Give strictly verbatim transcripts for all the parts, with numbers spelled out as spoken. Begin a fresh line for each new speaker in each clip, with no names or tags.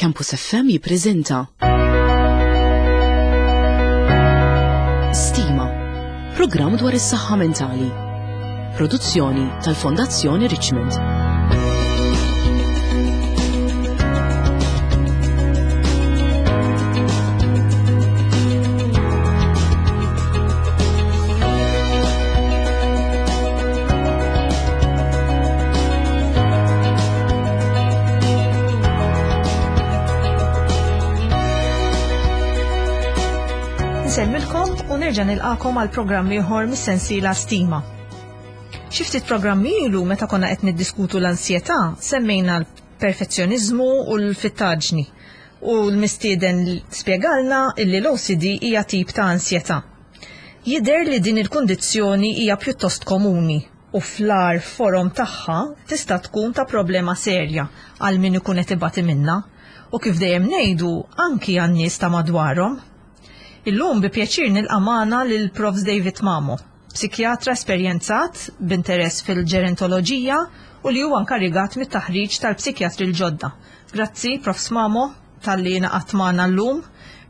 Campus F M jippreżenta Stima, programm dwar is-saħħa mentali. Produzzjoni tal-Fondazzjoni Richmond.
Nsellmilkom u nerġa' nilqakom għal programm ieħor mis-sensiela Stima. Xi ftit programmi ilu, meta konna qed niddiskutu l-ansjetà, semmejna l-perfezzjoniżmu u l-fittaġni. U l-mistieden spjegalna illi l-O C D hija tip ta' ansjetà. Jidher li din il-kundizzjoni hija pjuttost komuni u fl-agħar forom tagħha tista' tkun ta' problema serja għal min ikun qed ibati minnha u, kif dejjem ngħidu, anki għan-nies ta' madwarhom. Illum bi pjaċir nilqa' magħna lil Profs David Mamo, psikjatra esperjenzat b'interess fil-ġerontoloġija u li huwa nkarigat mit-taħriġ tal-psikjatri l-ġodda. Grazzi, Profs Mamo, talli ngħaqadt magħna llum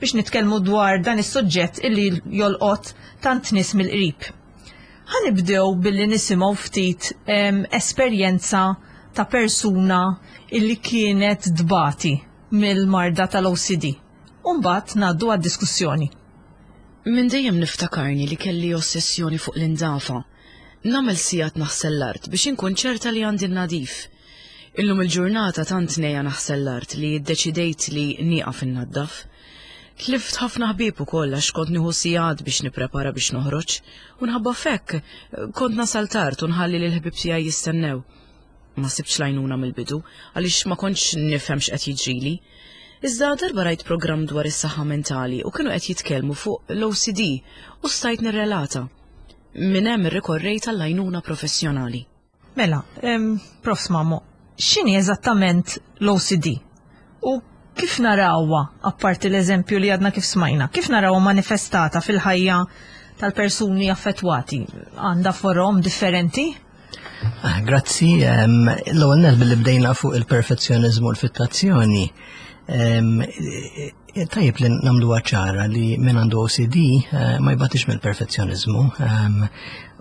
biex nitkellmu dwar dan is-suġġett illi jolqot tant nies mill-qrib. Ħa nibdew billi nisimgħu ftit em, esperjenza ta' persuna illi kienet tbati mill-marda tal-O C D. Umbagħad ngħaddu għad-diskussjoni.
Minn dejjem niftakarni li kelli ossessjoni fuq l-indafa. Nagħmel sigħat naħsel l-art biex inkun ċerta li għandi nadif. Illum il-ġurnata tant negħja naħsel l-art li ddeċidejt li nieqaf innaddaf. Tlift ħafna ħbieb ukoll għax kont nieħu sigħat biex nipprepara biex noħroġ u minħabba f'hekk kont nasal tard u nħalli lil ħbieb tiegħi jistennew. Ma sibtx l-għajnuna mill-bidu għaliex ma kontx nifhem x'qed jiġrili. Iżda darba rajt programm dwar is-saħħa mentali u kienu qed jitkellmu fuq l-O C D u stajt nirrelata. Minn hemm irrikorrejt għall-għajnuna professjonali.
Mela, em, Profs Mamo, x'inhi eżattament l-O C D? U kif narawha, apparti l-eżempju li għadna kif smajna, kif narawha manifestata fil-ħajja tal-persuni affettwati? Għandha forom differenti?
Ah, grazzi, em, l-ewwel nett, billi bdejna fuq il-perfezzjonizmu u l-fittazzjoni. em, eh, Tajjeb li nagħmlu ċara li min għandu O C D eh, ma jbatix mill-perfezzjonizmu. em,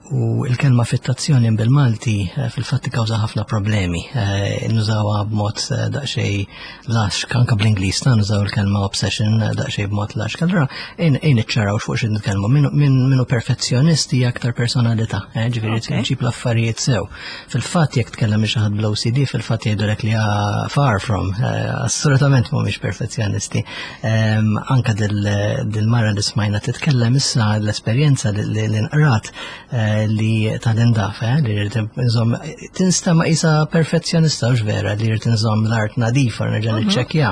U il-kelma fittazzjoni bil-Malti eh, fil-fatt kawża ħafna problemi. Eh, Nużawha b'mod eh, daqsxejn lax, anka bl-Ingliż ta' nużaw il-kelma obsession eh, daqsxejn b'mod lax. Allura ejn niċċaraw fuq xi nitkellmu. Minu minu perfezzjonist hija aktar personalità, eh, ġifieri
Ok.
ġib l-affarijiet sew. Fil-fatt jekk tkellem xi ħadd bl-O C D, fil-fatt jgħidulek li ah, far from, eh, assolutament mhumiex perfezzjonisti. Em, Anka dil- dil-mara li smajna titkellem issa, l-esperjenza li li li nqrat eh, li tal-indafa, eh, li rrid nżomm, tinstema' isa perfezzjonista, hux vera, li rrid nżomm l-art nadifa, nerġa' niċċekkja.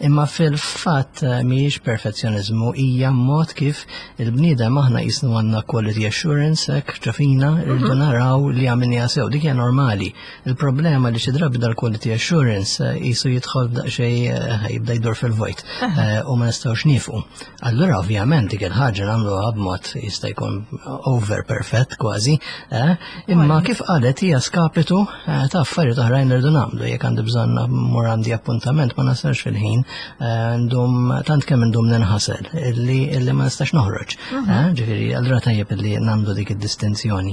Imma fil-fatt eh, mhijiex perfezzjonizmu, hija mod kif il-bniedem aħna jisnu għandna quality assurance hekk ġo fina, rridu naraw li għamilniha sew, dik hija normali. Il-problema li xi drabi dal-quality assurance eh, jisu jidħol daqsxejn eh, jibda jdur fil-vojt eh, u ma nistgħux nieqfu. Allura ovvjament dik il-ħaġa nagħmluha b'mod jista' jkun over perfect kważi, eh, imma kif qalet hija skapitu eh, ta' affarijiet oħrajn li rridu nagħmlu. Jekk għandi bżonn mmur għandi appuntament, ma nasalx fil-ħin, eh, ndum tant kemm ndum ninħasel illi illi ma nistax noħroġ. eh, Ġifieri allura tajjeb illi nagħmlu dik id-distinzjoni.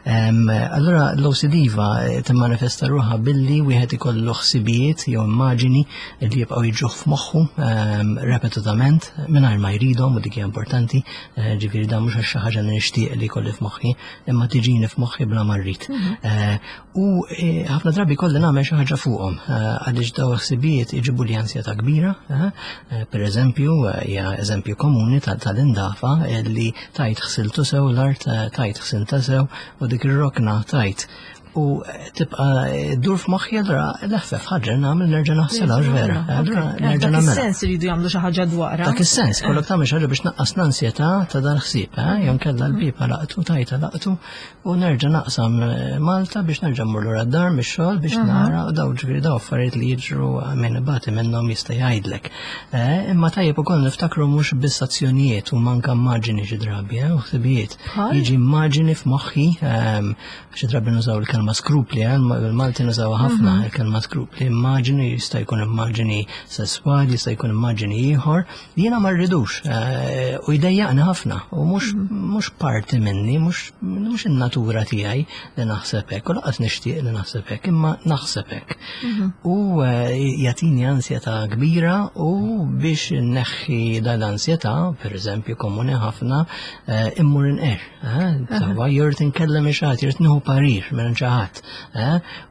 Em, Allura l-O C D va eh, timmanifesta ruħha billi wieħed ikollu ħsibijiet jew immaġini li jibqgħu jiġuh f'moħħu em, repetutament mingħajr ma jridhom, u dik hija importanti, eh, ġifieri dan mhux għax xi ħaġa li nixtieq li jkolli f'moħħi, imma tiġini f'moħħi bla ma rrid. Eh, U eh, ħafna drabi kolli nagħmel xi ħaġa fuqhom eh, għaliex daw ħsibijiet iġibu li ansjetà kbira, eh, eh, Per eżempju, eh, hija eżempju komuni tal- tal-indafa li tajt ħsiltu sew l-art, eh, tajt ħsilta sew u dik ir-rokna tajt. U eh, tibqa ddur f'moħħi, allura l-eħfef ħaġa nagħmel nerġa' naħsilha, hux vera. Allura nerġa'
Dak
nagħmilha.
is-sens iridu jagħmlu xi ħaġa dwarha.
Dak is-sens, kollok tagħmel xi ħaġa biex naqqas l-ansjetà ta' dan ħsieb, eh? Jew nkella l-bieb laqtu, tajta laqtu u nerġa' naqsam eh, Malta biex nerġa' mmur lura d-dar mix-xogħol biex nara, u daw ġifieri daw affarijiet li jiġru, min ibati minnhom jista' jgħidlek. Eh, Imma tajjeb ukoll niftakru mhux biss azzjonijiet u manka immaġini xi drabi, eh, u ħsibijiet.
Bħal?
Jiġi immaġini f'moħħi, ehm, xi drabi nużaw il-kelma il-kelma skrupli, eh, il-Malti nużaw ħafna mhm. il-kelma skrupli, immaġini jista' jkun immaġini sesswali, jista' jkun immaġini ieħor, li jiena ma rridux eh, u jdejjaqni ħafna u mhux mhm. mhux parti minni, mhux in-natura tiegħi li naħseb hekk, u lanqas nixtieq li naħseb hekk, imma naħseb hekk. Mhm. U eh, jagħtini ansjetà kbira u biex inneħħi dan l-ansjetà, pereżempju komuni ħafna, immur inqerr. Sewwa, irrid inkellem xi ħadd, irrid nieħu parir minn xi ħadd.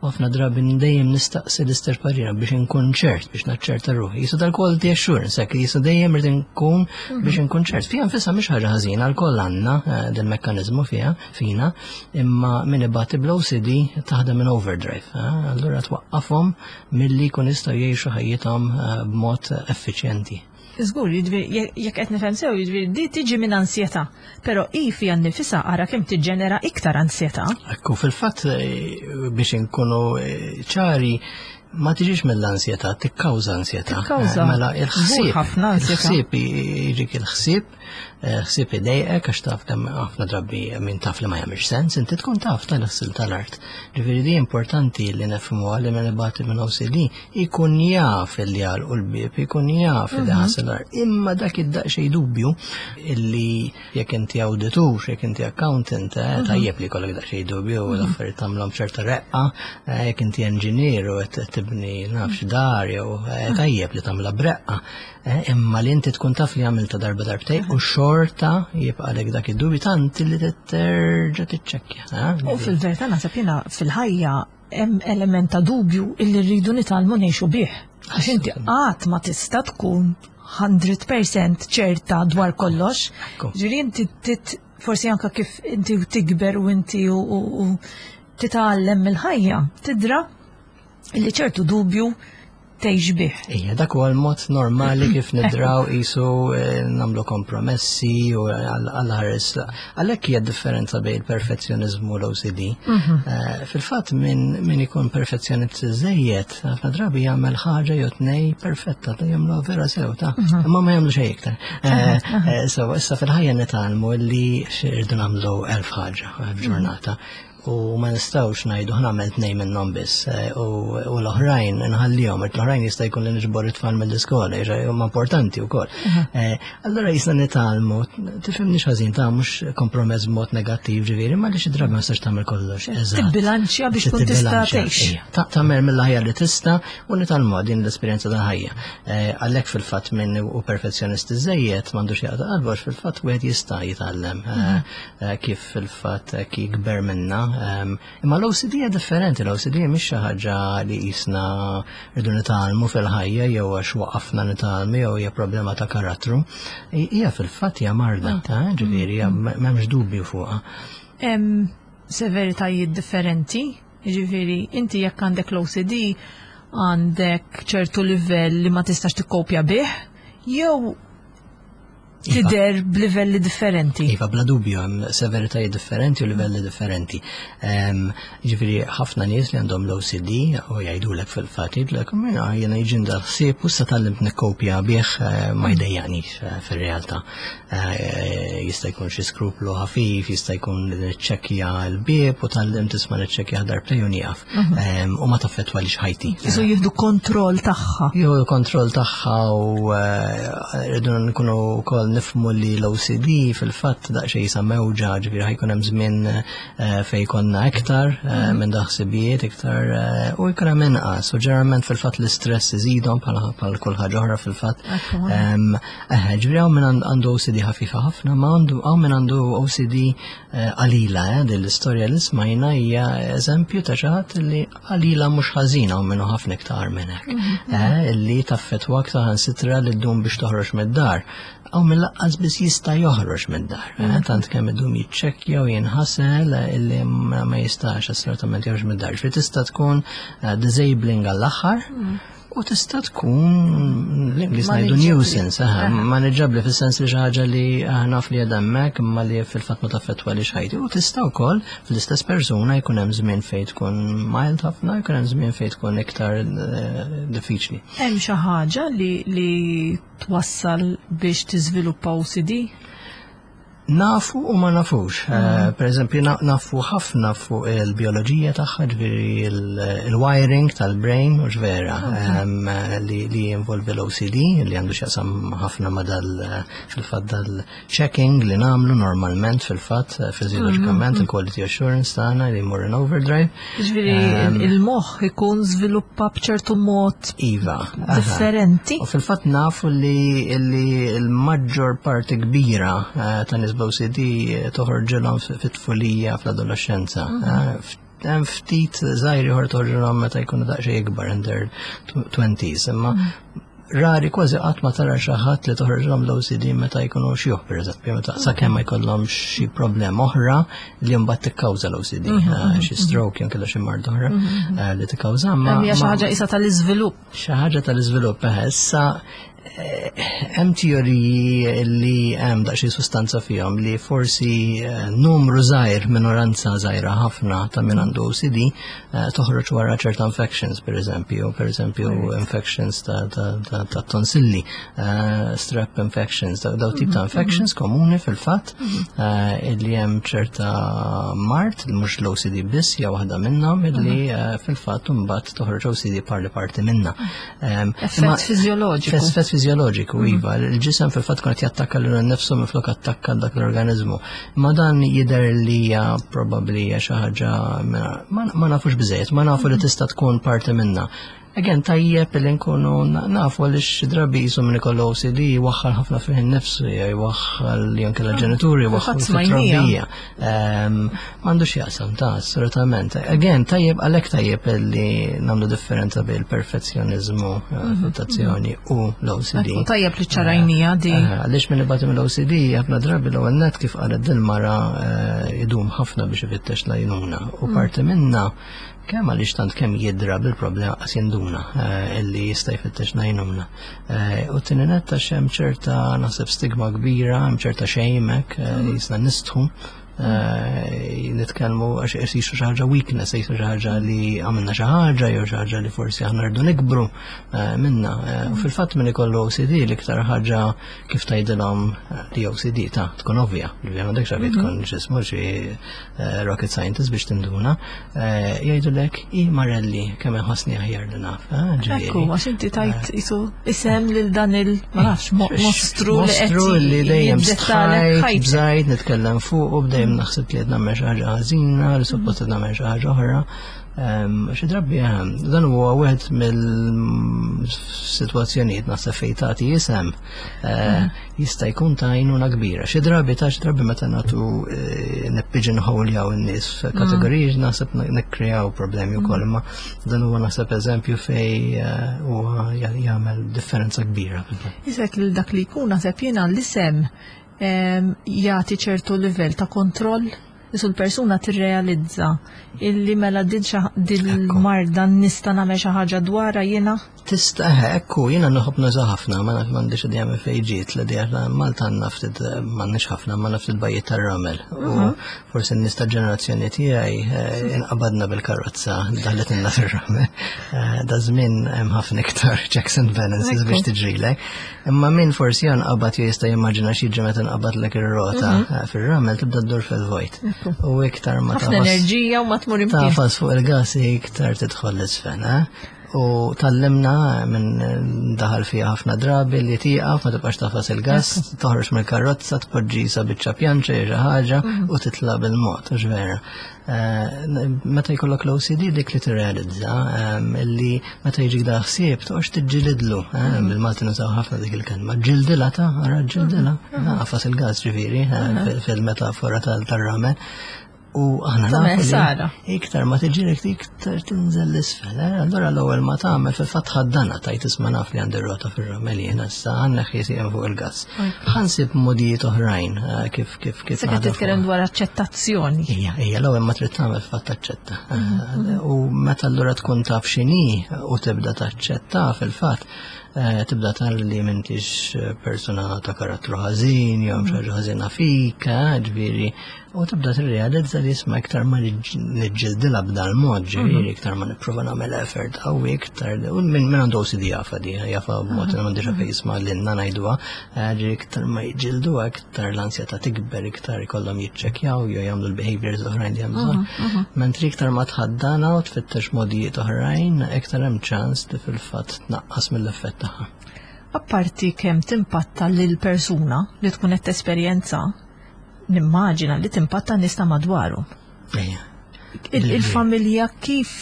U ħafna drabi dejjem nistaqsi l-istess parir biex inkun ċert, biex naċċerta ruħi. Jisu dal-quality assurance, hekk jisu dejjem irid inkun biex inkun ċert. Fiha nfisha mhix ħaġa ħażina, lkoll għandna eh, del mekkaniżmu fiha fina, imma min ibati bl-O C D taħdem minn overdrive. Eh, allura twaqqafhom milli jkun jistgħu jgħixu ħajjithom eh, b'mod effiċjenti.
Żgur, jiġifieri jekk qed nifhem sew, jiġifieri di tiġi minn ansjetà, però hi fiha nnifisha ara kemm tiġġenera iktar ansjetà.
Ekku, fil-fatt eh, biex inkunu eh, ċari, ma tiġix mill-ansjetà, tikkawża ansjetà.
Tikkawża.
Eh, mela il-ħsieb.
Ħafna ansjetà.
Il-ħsieb jiġik il-ħsieb, ħsieb idejqek għax taf kemm ħafna drabi min taf li ma jagħmilx sens, inti tkun taf tal-ħsil tal-art. Ġifieri di importanti li nifhmu li min ibati minn O C D ikun jaf li għalqu l-bieb, ikun jaf li mhm. ħasel l-art. Imma dak id-daqsxejn dubju illi jekk inti awditur, jekk inti accountant, eh, mhm. tajjeb li jkollok daqsxejn dubju u mhm. l-affarijiet tagħmlhom ċerta reqqa, eh, jekk inti engineer u qed tibni nafx dar jew eh, tajjeb li tagħmilha b'reqqa. Imma li inti tkun taf li għamilta darba darbtej u xorta jibqa' dak id-dubju tant li terġa' tiċċekkja.
U fil-verità naħseb jiena fil-ħajja hemm element ta' dubju illi rridu nitgħallmu ngħixu bih. Għax inti qatt ma tista' tkun mija fil-mija ċerta dwar kollox. Ġifieri inti tit forsi anka kif inti tikber u inti u titgħallem mill-ħajja, tidra illi ċertu dubju tgħix bih.
Ija, dak huwa l-mod normali kif nidraw isu eh, nagħmlu kompromessi u għall-ħares. Għalhekk hija differenza bejn il-perfezzjonizmu u l-O C D. Mhm. Eh, fil-fatt min min ikun perfezzjonist żejjed, ħafna drabi jagħmel ħaġa jew tnej perfetta, ta' jagħmlu vera sew ta' mhm. imma ma jagħmlu xejn iktar. Eh, so issa fil-ħajja nitgħallmu li rridu nagħmlu elf ħaġa f'ġurnata u ma nistgħux ngħidu ħa nagħmel tnejn minnhom biss eh, u l-oħrajn nħallihom, l-oħrajn jista' jkun li niġbor it-tfal mill-iskola, huma importanti wkoll. Eh, allura jisna nitgħallmu, tifhimni ħażin ta' mhux kompromess b'mod negattiv ġifieri, ma li xi drabi ma nistax tagħmel kollox.
Tibbilanċja biex tkun tista' tgħix.
Tagħmel mill-ħajja li tista' u nitgħallmu din l-esperjenza tal-ħajja. Eh, għalhekk fil-fatt minn u perfezzjonist iżejjed m'għandux jaqta' qalbu għax fil-fatt wieħed jista' jitgħallem mhm. kif fil-fatt jikber minna. Imma l-O C D hija differenti, l-O C D mhix xi ħaġa li jisna rridu nitgħallmu fil-ħajja jew għax waqafna nitgħallmu jew hija problema ta' karattru. Hija fil-fatt hija marda, ta' ġifieri m'hemmx dubju fuqha.
Hemm severitajiet differenti, jiġifieri inti jekk għandek l-O C D għandek ċertu livell li ma tistax tikkopja bih, jew
Iva.
Tidher b'livelli differenti.
Iva, bla dubju, hemm severitajiet differenti u livelli differenti. Ġifieri, ħafna nies li għandhom l-O C D u jgħidulek fil-fatt, jgħidulek, "Mela, jiena jiġini dal-ħsieb u sa tgħallimt nikkopja bih, eh, ma jdejjaqnix eh, fil-realtà. Eh, Jista' jkun xi skruplu ħafif, jista' jkun niċċekkja l-bieb u tgħallimt tisma' niċċekkja darbtejn u nieqaf. Em, U ma taffettwalix ħajti.
Isu jieħdu kontroll tagħha.
Jieħu kontroll tagħha u eh, rridu nkunu wkoll nifhmu li l-O C D fil-fatt daqsxejn jisa mewġa, ġifieri ħa jkun hemm żmien eh, fejn jkollna iktar eh, minn daħsibijiet iktar eh, u jkun hemm inqas u ġeneralment fil-fatt l-istress iżidhom bħala bħal kull ħaġa oħra fil-fatt.
Ekku.
Em, eh, Ġifieri hawn min għandu O C D ħafifa ħafna, ma għandu hawn min għandu O C D eh, qalila, eh, din l-istorja li smajna hija eżempju ta' xi ħadd li qalila mhux ħażina u minnu ħafna iktar minn hekk. Eh, Illi taffettwa saħansitra li ddum biex toħroġ mid-dar. Hawn min lanqas biss jista' joħroġ mid-dar. eh, Tant kemm idum jiċċekkja u jinħasel eh, illi ma ma jistax assolutament joħroġ mid-dar. Ġifieri tista' tkun eh, disabling għall-aħħar u tista' tkun l-Ingliż ngħidu
Manageably.
nuisance, aha, manageably fis-sens li xi ħaġa li aħna naf li qiegħda hemmhekk imma li fil-fatt ma taffettwalix ħajti. U tista' wkoll fl-istess persuna jkun hemm żmien fejn tkun mild ħafna, jkun hemm żmien fejn tkun iktar eh, diffiċli.
Hemm xi ħaġa li li twassal biex tiżviluppa O C D?
Nafu u ma nafux. Mm. Per eżempju, nafu ħafna fuq il-bioloġija tagħha, ġifieri il-wiring tal-brain, u vera, li jinvolvi l-O C D, li għandu x'jaqsam ħafna ma dal fil-fatt dal-checking li nagħmlu normalment fil-fatt fiżjoloġikament, mm-hmm. il-quality assurance tagħna li jmur in overdrive.
Ġifieri il-moħħ ikun żviluppa b'ċertu mod
Iva.
differenti.
U fil-fatt nafu li l-maġġor parti kbira eh, ta' nies b'O C D toħorġilhom fit-tfulija, fl-adolescenza. Mhm. Hemm ftit żgħir ieħor toħorġilhom meta jkunu daqsxejn ikbar, in their twenties, imma mhm. rari, kważi qatt ma tara xi ħadd li toħroġlhom l-O C D meta jkunu xjuħ, pereżempju, meta sakemm ma jkollhom xi problema oħra li mbagħad tikkawża l-O C D, mhm, eh, xi stroke jew kellha xi mard oħra eh, li tikkawża.
Ma hija xi ħaġa isa tal-iżvilupp.
Xi ħaġa tal-iżvilupp, eh, issa hemm teoriji li hemm daqsxejn sustanza fihom li forsi eh, numru żgħir, minoranza żgħira ħafna ta' min għandu O C D eh, toħroġ wara ċerta infections, per eżempju, per eżempju infections ta', ta, ta, ta tonsilli, eh, strep infections, daw tip ta' mhm, infections mhm. komuni fil-fatt mhm. illi hemm ċerta mard, mhux l-O C D biss, hija waħda minnhom illi fil-fatt imbagħad toħroġ O C D parli parti minna.
Effett fiżjoloġiku.
Effett fiżjoloġiku, mhm. iva. Il-ġisem fil-fatt kont jattakka lil nifsu minflok attakka dak l-organizmu. Ma dan jidher li hija probabbli hija xi ħaġa ma nafux biżejjed, ma nafu li mhm. tista' tkun parti minna. Again, tajjeb li nkunu nafu għaliex xi drabi jisu minn ikollu O C D jwaħħal ħafna fih nifsu, jwaħħal anke l-ġenituri, jwaħħal fit-trobbija. M'għandux jaqsam ta' assolutament. Again, tajjeb għalhekk tajjeb li nagħmlu differenza bejn il-perfezzjonizmu eh, mhm, fil-tazzjoni u l-O C D.
Tajjeb li ċarajnija di.
Eh, għaliex minn ibati mill-O C D ħafna drabi l-ewwel net, kif qalet dil-mara, eh, idum ħafna biex ifittex l-għajnuna u mm. parti minna kemm għaliex tant kemm jidra bil-problema qas jinduna eh, illi jista' jfittex l-għajnuna. Eh, u t-tieni nett għax hemm ċerta, naħseb, stigma kbira, hemm ċerta shame hekk, eh, mm. jisna nistħu nitkellmu għax jisu xi ħaġa weakness, jisu xi ħaġa li għamilna xi ħaġa jew xi ħaġa li forsi aħna rridu nikbru minna. U fil-fatt min ikollu O C D l-iktar ħaġa kif tgħidilhom li O C D ta' tkun ovvja, li m'għandekx għalfejn tkun x'ismu xi rocket scientist biex tinduna, jgħidulek i marelli kemm inħossni aħjar li naf.
Ekku, għax inti tajt isu isem lil dan il, ma nafx, mostru.
Mostru li dejjem stħajt, bżajt nitkellem fuq u bdejjem naħseb li qed nagħmel xi ħaġa ħażina, li suppost qed nagħmel xi ħaġa oħra. Xi drabi dan huwa wieħed mill-sitwazzjonijiet naħseb fejn tagħti isem eh, jista' jkun ta' għajnuna kbira. Xi drabi ta' xi drabi meta nagħtu eh, nippigeonhole in-nies f'kategoriji naħseb nikkreaw problemi wkoll, imma dan huwa naħseb eżempju fej eh, huwa jagħmel differenza kbira.
Isek lil dak li jkun naħseb jiena l-isem jagħti ċertu livell ta' kontroll. Isu l-persuna tirrealizza illi mela din il-marda nista' nagħmel xi ħaġa dwarha jiena.
Tista', ekku, jiena nħobb nuża ħafna, ma naf m'għandix idea minn fejn ġiet l-idea. Malta għandna ftit, m'għandniex ħafna, ma ftit bajjiet tar-ramel. U mhm. forsi n-nies ta' ġenerazzjoni tiegħi eh, inqabadna bil-karozza daħlet inna fir-ramel. Eh, da żmien hemm ħafna iktar checks and balances biex tiġrilek. Imma min forsi nqabad jista' jimmaġina xi meta nqabadlek ir-rota mhm. eh, fir-ramel, tibda ddur fil-vojt. U iktar ma
ħafna enerġija u ma tmur
imkien. Tagħfas fuq il-gas iktar tidħol l-isfel, eh? U tgħallimna minn daħal fija ħafna drabi li tieqaf, ma tibqax tagħfas il-gas, toħroġ mill-karozza, tpoġġi sa biċċa pjanċa jew xi ħaġa mhm. u titla' bil-mod, u vera. Eh, meta jkollok l-O C D dik li tirrealizza ehm, li meta jiġik da ħsieb toqgħodx tiġġilidlu, eh, mhm. bil-Malti nużaw ħafna dik il-kelma, ġildilha ta' ara ġildilha, mhm. agħfas il-gas ġifieri eh, fil-metafora tal-ramel. U aħna nafu iktar ma tiġġieled iktar tinżel l-isfel. Eh? Allora l-ewwel ma tagħmel fil-fatt ħaddana tajt isma' naf li għandi rota fir-ramel jiena issa għandna ħjiesien fuq il-gas. Ħa nsib modijiet oħrajn eh, kif kif kif.
Se qed titkellem dwar aċċettazzjoni.
Ija, ija, l-ewwel ma trid tagħmel fatt taċċetta. Mhm, mhm. U meta allura tkun taf x'inhi u tibda taċċetta fil-fatt eh, tibda tara li m'intix persuna ta' karattru ħażin, jew xi ħaġa ħażina fik, eh, ġifieri, u tibda tirrealizza li isma' iktar ma niġġildilha b'dal-mod, ġifieri, iktar ma nipprova nagħmel effort qawwi iktar, u minn min għandu O C D jafa di, jafa b'mod li m'għandix fejn jisma' lilna ngħiduha, eh, ġifieri iktar ma jiġġilduha, iktar l-ansjetà tikber, iktar ikollhom jiċċekkjaw jew jagħmlu l-behaviors oħrajn li hemm bżonn. Mentri iktar ma tħaddana u tfittex modijiet oħrajn, iktar hemm ċans li fil-fatt tnaqqas mill-effett tagħha.
Apparti kemm timpatta lil persuna li tkun qed tesperjenza, nimmaġina li timpatta nies ta' madwaru.
Ejja.
Il- Il-familja kif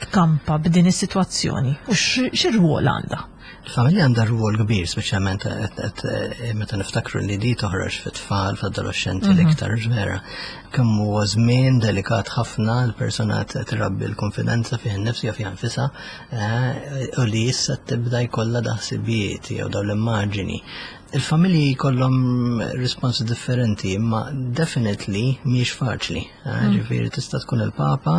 tkampa b'din is-sitwazzjoni u x'irwol għandha?
Il-familja għandha rwol kbir, speċjalment qed- qed- eh, meta niftakru li di toħroġ fit-tfal, fl-adolescenti l-iktar vera. Kemm huwa żmien delikat ħafna l-persuna trabbi l-konfidenza fih innifsu jew fiha nfisha, eh, u li issa tibda jkollha daħsibijiet jew dawn l-immaġini. Il-familji jkollhom risponsi differenti, imma definitely mhix faċli. Eh, Ġifieri tista' tkun il-papa,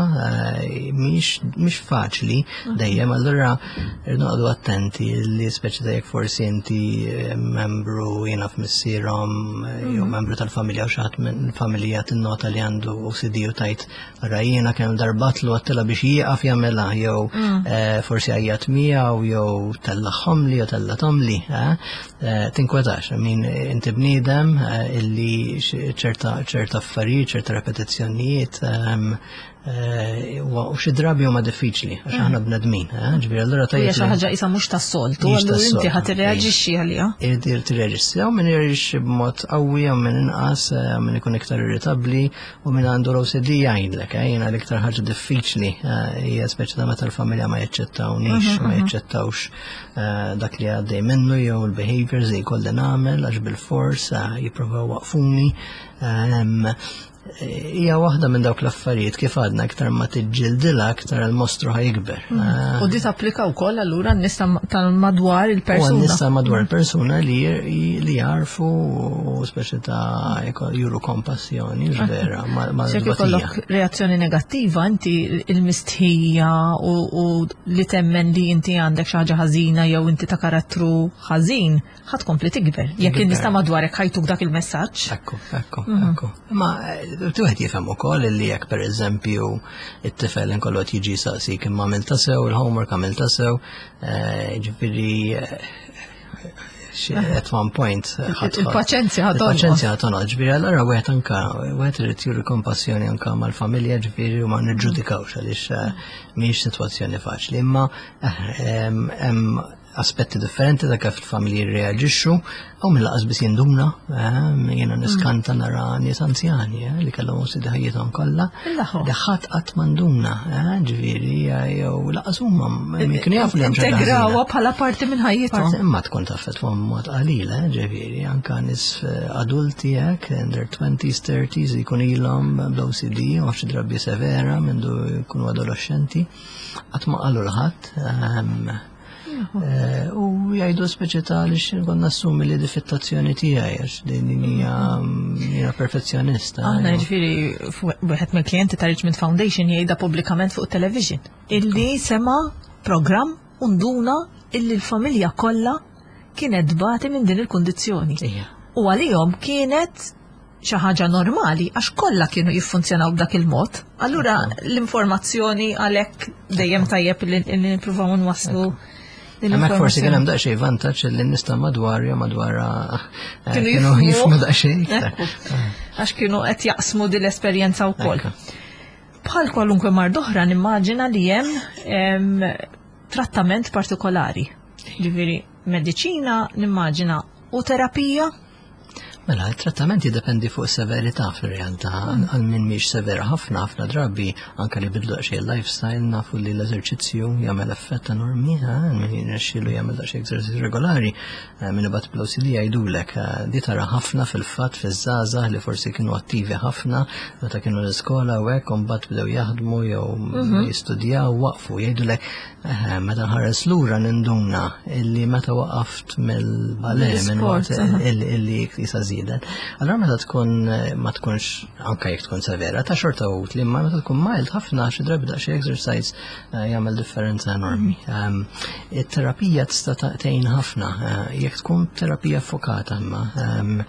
eh, mhix mhix faċli dejjem, allura irridu noqogħdu attenti li speċi ta' jekk forsi inti eh, membru jiena f'missierhom eh, jew membru tal-familja u xi ħadd minn familja tinnota li għandu O C D u tajt ara jiena kemm darbatlu għedtilha biex jieqaf jagħmilha jew eh, forsi għajjat miegħu jew tellagħhomli jew tellagħthomli, eh, eh, tinkwetax, I mean, inti bniedem eh, illi ċerta ċerta affarijiet, ċerta repetizzjonijiet ehm, eh, u xi drabi huma diffiċli għax aħna bnedmin, eh, ġifieri allura
Hija
tajjeb
xi
li-
ħaġa isa mhux tas-soltu,
Mhix
allura inti
tas-soltu,
ħa tirreaġixxi għaliha.
Irrid tirreaġixxi, u min jirreaġixxi b'mod qawwi u min inqas, eh, min ikun iktar irritabbli u min għandu l-O C D jgħidlek, eh, jiena l-iktar ħaġa diffiċli eh, hija speċi ta' meta l-familja ma jaċċettawnix, ma jaċċettawx eh, dak li għaddej minnu jew il-behaviors li jkolli nagħmel għax bil-fors eh, jippruvaw waqfuni. Ehm, Hija waħda minn dawk l-affarijiet kif għadna iktar ma tiġġildilha aktar il-mostru ħa jikber. Eh,
U di tapplika wkoll allura n-nies tal-madwar
U
il-persuna.
n-nies ta' madwar il-persuna li li jarfu u speċi ta' juru kompassjoni, vera, ma' ma'
Jekk
l-batija.
ikollok reazzjoni negattiva, inti il-mistħija u, u li temmen li inti għandek xi ħaġa ħażina jew inti ta' karattru ħażin, ħa tkompli tikber. Jekk
Tikber.
in-nies ta' madwarek ħa jtuk dak il-messaġġ.
Ekku, ekku, ekku. Ma eh, wieħed jifhem ukoll li jekk per eżempju it-tifel inkollu qed jiġi saqsik imma għamilta sew, il-homework għamilta sew, eh, ġifieri eh, xi- at one point eh, ħadd-
Il-paċenzja ħa tonqos.
Il-paċenzja ħa tonqos, ġifieri allura wieħed anka wieħed irid juri kompassjoni anka mal-familja ġifieri u ma niġġudikawx għaliex eh, mhijiex sitwazzjoni faċli, imma eh, hemm hemm aspetti differenti ta' kif il-familji jirreaġixxu u minn lanqas biss jinduna, eh, jiena niskanta nara nies anzjani eh, li kellhom O C D ħajjithom kollha
Il-laħo.
li ħadd qatt m'induna, eh, ġifieri jew lanqas huma kienu jafu li hemm xi ħaġa
Integrawha
ħażina.
bħala parti minn ħajjithom.
Parti imma tkun taffettwa mod qalil, eh, ġifieri, anka nies eh, adulti hekk, in their twenties, thirties, jkun ilhom bl-O C D, u xi drabi severa mindu jkunu adolescenti, qatt ma qalu 'l ħadd, ehm, eh, u jgħidu speċi ta' li konna nassumi li difettazzjoni tiegħi għax din hija jiena perfezzjonista.
Aħna
jew-
ġifieri wieħed mill-klijenti ta' Richmond Foundation jgħidha pubblikament fuq television illi sema programm u nduna illi l-familja kollha kienet tbati minn din il-kundizzjoni.
Ija.
U għalihom kienet xi ħaġa normali għax kollha kienu jiffunzjonaw b'dak il-mod. Allura l-informazzjoni għalhekk dejjem tajjeb li li nippruvaw nwasslu din
Hemmhekk forsi kien
l-informazzjoni.
hemm daqsxejn vantaġġ li n-nies ta' madwar jew madwar eh,
Kienu
kienu
jifhmu.
jifhmu daqsxejn iktar.
Ekku. Għax kienu qed jaqsmu din l-esperjenza wkoll.
Ekku.
Bħal kwalunkwe mard oħra nimmaġina li hemm em, trattament partikolari. Ġifieri mediċina nimmaġina u terapija.
Mela, il-trattament jiddependi fuq severità fil-realtà. Għal min mhix severa ħafna, ħafna drabi, anka li bidlu xi lifestyle, nafu li l-eżerċizzju jagħmel effett enormi, eh, min jirnexxielu jagħmel daqsxejn eżerċizzju regolari, eh, min ibati bl-O C D jgħidulek, eh, di tara ħafna fil-fatt fiż-żgħażagħ li forsi kienu attivi ħafna meta kienu l-iskola u hekk, u mbagħad bdew jaħdmu jew jistudjaw waqfu jgħidulek eh, meta nħares lura ninduna illi meta waqaft mill-ballet minn
Mill-sport,
waqt
aha.
illi illi jisa żiedet. Allura meta tkun ma tkunx, anke jekk tkun severa, ta' xorta utli, imma meta tkun mild ħafna, xi drabi daqsxejn exercise eh, jagħmel differenza enormi. Ehm, it-terapija tista' tgħin ħafna eh, jekk tkun terapija fokata, imma ehm,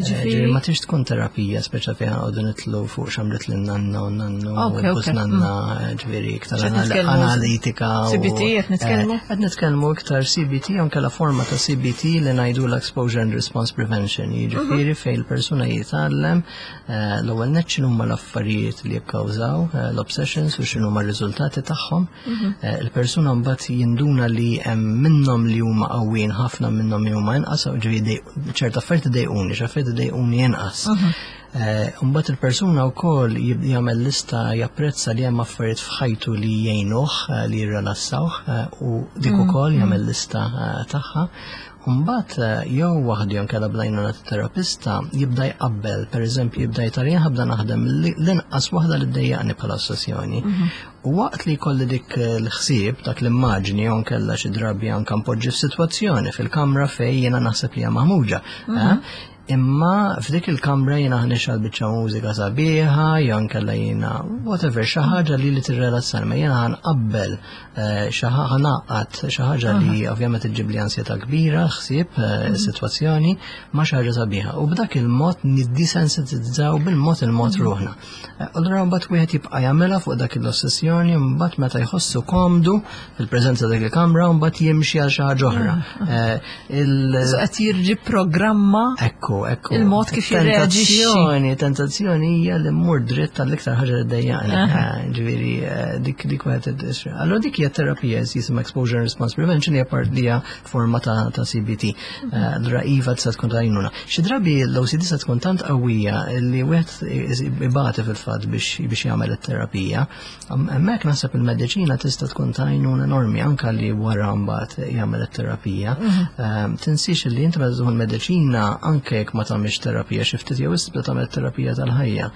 eh, ma tix tkun terapija speċa fejn għodu nitlu fuq x'għamlet lin-nanna u nannu u nanna, mm. ġifieri iktar analitika.
C B T qed nitkellmu?
Qed nitkellmu iktar C B T, anke la forma ta' C B T li ngħidu l-exposure and response prevention, jiġifieri mhm. fejn il-persuna jitgħallem l-ewwel nett x'inhuma l-affarijiet li jikkawżaw l-obsessions u x'inhuma r-riżultati tagħhom. Mhm. Il-persuna mbagħad jinduna li hemm minnhom li huma qawwin ħafna, minnhom li huma inqas, ġifieri ċerta affarijiet idejquni, xi affarijiet idejquni inqas. Mhm. Mbagħad il-persuna wkoll jagħmel lista, japprezza li hemm affarijiet f'ħajtu li jgħinuh, li jirrelassawh, u dik mhm. ukoll jagħmel lista tagħha. Mbagħad jew waħdu jew inkella bl-għajnuna terapista jibda jqabbel, pereżempju jibda jtara ħabda naħdem l-inqas waħda li ddejjaqni bħala ossessjoni. Mhm. U waqt li jkolli dik l-ħsieb, dak l-immaġni, jew nkella xi drabi anke npoġġi f'sitwazzjoni fil-kamra fejn jiena naħseb li hija maħmuġa. Mhm. Imma f'dik il-kamra jiena ħa nixgħel biċċa mużika sabiħa, jew nkella jiena whatever, xi ħaġa li li tirrelassar, ma jiena ħa nqabbel xi ħa ngħaqqad xi ħaġa li ovvjament iġġib li ansjetà kbira, ħsieb, eh, sitwazzjoni, ma xi ħaġa sabiħa. U b'dak il-mod niddisensitizzaw bil-mod il-mod ruħna. Eh, allura mbagħad wieħed jibqa' jagħmilha fuq dak l-ossessjoni, mbagħad meta jħossu komdu fil-preżenza dak il-kamra, mbagħad jimxi għal xi ħaġa oħra.
Eh, Qed jirriprogramma
Ekku, ekku.
il-mod kif jirreaġixxi.
Tentazzjoni, tentazzjoni hija li mmur dritt tal-iktar ħaġa li ddejjaqni. Ġifieri dik dik wieħed. Allura dik hija terapija jisimha exposure and response prevention, hija part li hija forma ta' ta' C B T. Allura iva, tista' tkun ta'. Xi drabi l-O C D se tkun tant qawwija li wieħed ibati fil-fatt biex biex jagħmel it-terapija. Hemmhekk naħseb il-mediċina tista' tkun ta' għajnuna enormi anke li wara mbagħad jagħmel it-terapija. Mhm. Tinsix li inti meta tieħu l-mediċina, anke jekk ma tagħmilx terapija xi ftit jew tibda tagħmel terapija tal-ħajja.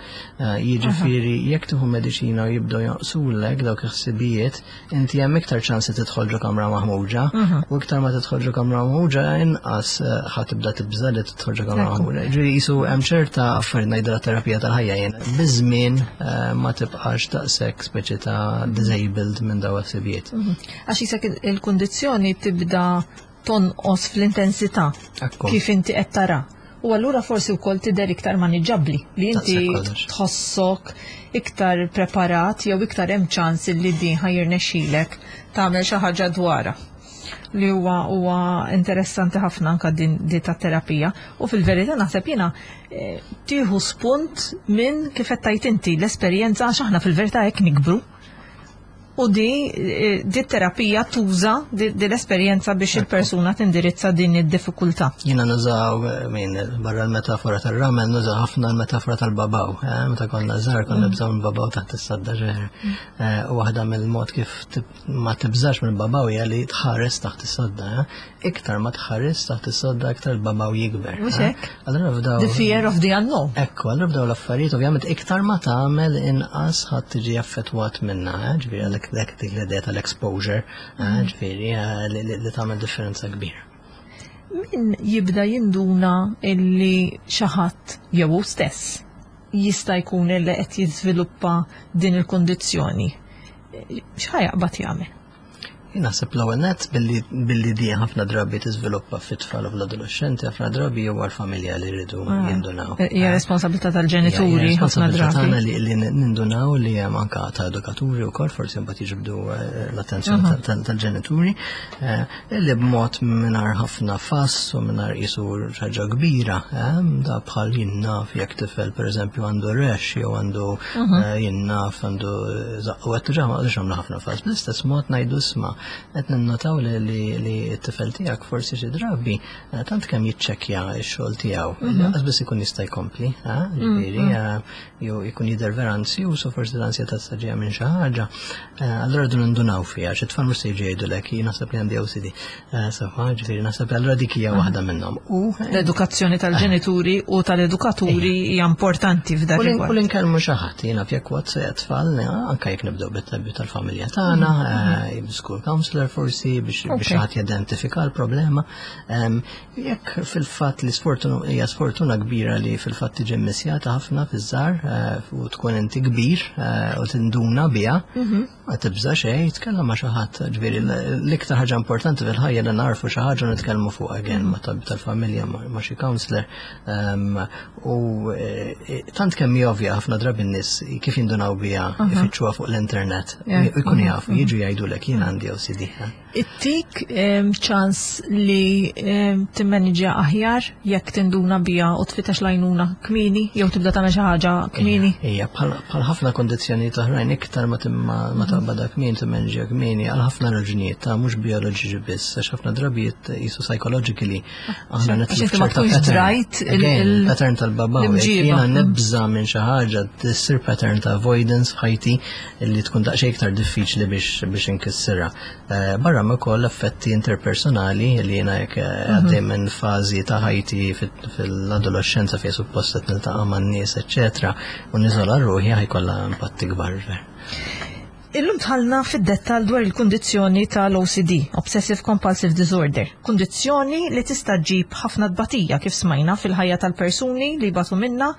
Jiġifieri jekk tieħu mediċina u jibdew jonqsulek dawk il-ħsibijiet, inti hemm iktar ċansi tidħol ġo kamra maħmuġa mhm. u iktar ma tidħol ġo kamra maħmuġa, inqas ħa tibda tibża li tidħol ġo kamra maħmuġa. Ġifieri jisu hemm ċerta affarijiet ngħidha terapija tal-ħajja jien. Biż-żmien ma tibqax daqshekk speċi ta' disabled minn daw ħsibijiet.
Mhm. Għax jisek il-kundizzjoni tibda tonqos fl-intensità kif inti qed tara. U allura forsi wkoll tidher iktar maniġġabbli, li inti tħossok iktar preparat jew iktar hemm ċans li din ħa jirnexxilek tagħmel xi ħaġa dwarha, li huwa huwa interessanti ħafna anka din di ta' terapija. U fil-verità naħseb jiena eh, tieħu spunt minn kif qed tgħid inti l-esperjenza, għax aħna fil-verità hekk nikbru. U di, eh, di terapija tuża di, di l-esperjenza biex il-persuna tindirizza din id-diffikultà.
Jiena nużaw eh, min barra l-metafora tal-ramel, nużaw ħafna l-metafora tal-babaw. eh, Meta konna żgħar konna nibżgħu l-babaw taħt is-sadda ġeħer. U waħda mill-mod kif tib- ma tibżax mill-babaw hija li tħares taħt is-sodda. eh. Iktar ma tħares taħt is-sodda, iktar il-babaw jikber.
Mhux
eh.
hekk?
Allura f'daw.
The fear of the unknown.
Ekku, allura b'daw l-affarijiet, ovvjament, iktar ma tagħmel, inqas ħadd tiġi affettwat minna, eh, ġifieri għalhekk dak dik l-idea tal-exposure, eh, ġifieri eh, li, li, li tagħmel differenza kbira.
Min jibda jinduna illi xi ħadd jew hu stess jista' jkun illi qed jiżviluppa din il-kundizzjoni, x'ħa jaqbad jagħmel?
Jien naħseb l-ewwel nett billi billi di ħafna drabi tiżviluppa fit-tfal u fl-adolescenti, ħafna drabi huwa l-familja li jridu jindunaw.
Hija responsabilità tal-ġenituri ħafna
Responsabilità
drabi.
Tagħna li, li nindunaw li hemm anka ta' edukaturi wkoll, forsi mbagħad jiġbdu eh, l-attenzjoni tal- tal- tal-ġenituri, eh, li b'mod mingħajr ħafna fuss u mingħajr qisu ħaġa kbira, eh, da bħal jien naf jekk tifel pereżempju għandu rash jew għandu eh, jien naf għandu żaqqu qed ġa ma għamlu ħafna fuss. Bl-istess mod ngħidu, "Isma', qed ninnotaw li li li t-tifel tiegħek forsi xi drabi eh, tant kemm jiċċekkja x-xogħol tiegħu, lanqas biss ikun jista' jkompli, eh, ġifieri eh, jew jkun jidher vera ansjuż u forsi l-ansjetà tista' ġejja minn xi ħaġa." Eh, Allura dun nindunaw fiha, xi tfal mhux se jiġu jgħidulek, "Jien naħseb li għandi O C D" Eh, Sewwa, ġifieri naħseb li allura dik hija waħda minnhom. U
L-edukazzjoni tal-ġenituri u tal-edukaturi hija importanti f'dak
U l- u
rigward.
l-inkellmu xi ħadd, jiena fjek wat tfal, eh, anka jekk nibdew bit-tabbi tal-familja tagħna, eh, school counselor forsi biex biex
Okay.
ħadd jidentifika l-problema. Em, Jekk fil-fatt li sfortuna hija sfortuna kbira li fil-fatt tiġi missjata ħafna fiż-żgħar eh, u tkun inti kbir eh, u tinduna biha, ma tibża xejn, tkellem ma' xi ħadd. Ġifieri l-iktar ħaġa importanti fil-ħajja li narfu xi ħaġa u nitkellmu fuq again ma' tabib tal-familja ma' ma' xi counselor. Em, U eh, tant kemm hi ovvja ħafna drabi n-nies kif jindunaw biha ifittxuha fuq l-internet.
Yeah.
U jkunu jafu, jiġu jgħidulek jien għandi O C D. eh.
Ittik em, ċans li em, timmaniġja aħjar jekk tinduna bija u tfittex l-għajnuna kmieni jew tibda tagħmel xi ħaġa kmieni.
Ija, bħal bħal ħafna kondizzjoni oħrajn iktar ma timma ma taqbadha kmieni, timmanġja kmieni għal ħafna raġunijiet ta' mhux bioloġiċi biss, għax ħafna drabijiet jisu psychologically aħna
Għax
nitlu
inti ma
f'ċerta
tkunx
pattern.
drajt il-
Again,
il-
pattern tal-babaw. Jekk
l-imġiba.
jiena nibża minn xi ħaġa tissir pattern ta' avoidance f'ħajti li tkun daqsxejn iktar diffiċli biex biex inkissirha. Eh, Barra ma wkoll effetti interpersonali li jiena jekk eh, għaddej minn fażi ta' ħajti fit- fil-adolescenza fejn suppost qed niltaqa' man-nies, eċċetera, u niżola ruħi ħa jkollha impatti kbar.
Illum dħalna fid-dettal dwar il-kundizzjoni tal-O C D, Obsessive Compulsive Disorder. Kundizzjoni li tista' ġġib ħafna tbatija kif smajna fil-ħajja tal-persuni li batu minna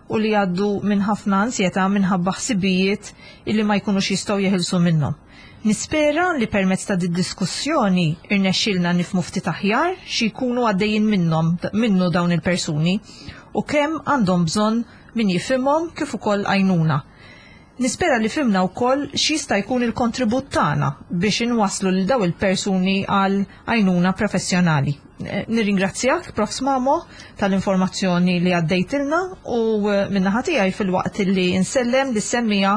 u li għaddu minn ħafna ansjetà minħabba ħsibijiet illi ma jkunux jistgħu jeħilsu minnhom. Nispera li permezz ta' di diskussjoni irnexxilna nifhmu ftit aħjar xi jkunu għaddejjin minnhom minnu dawn il-persuni u kemm għandhom bżonn min jifhimhom kif ukoll għajnuna. Nispera li fhimna wkoll x'jista' jkun il-kontribut tagħna biex inwaslu lil daw il-persuni għal għajnuna professjonali. Eh, Nirringrazzjak, Profs Mamo, tal-informazzjoni li għaddejtilna u eh, min-naħa tiegħi filwaqt li insellem lis-semmiegħa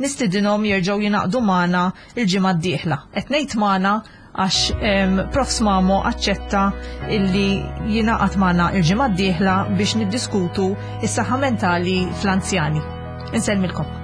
nistidinhom jerġgħu jingħaqdu magħna il-ġimgħa d-dieħla. Qed ngħid magħna għax em, Profs Mamo aċċetta illi jingħaqad magħna il-ġimgħa d-dieħla biex niddiskutu is-saħħa mentali fl-anzjani. Insellmilkom.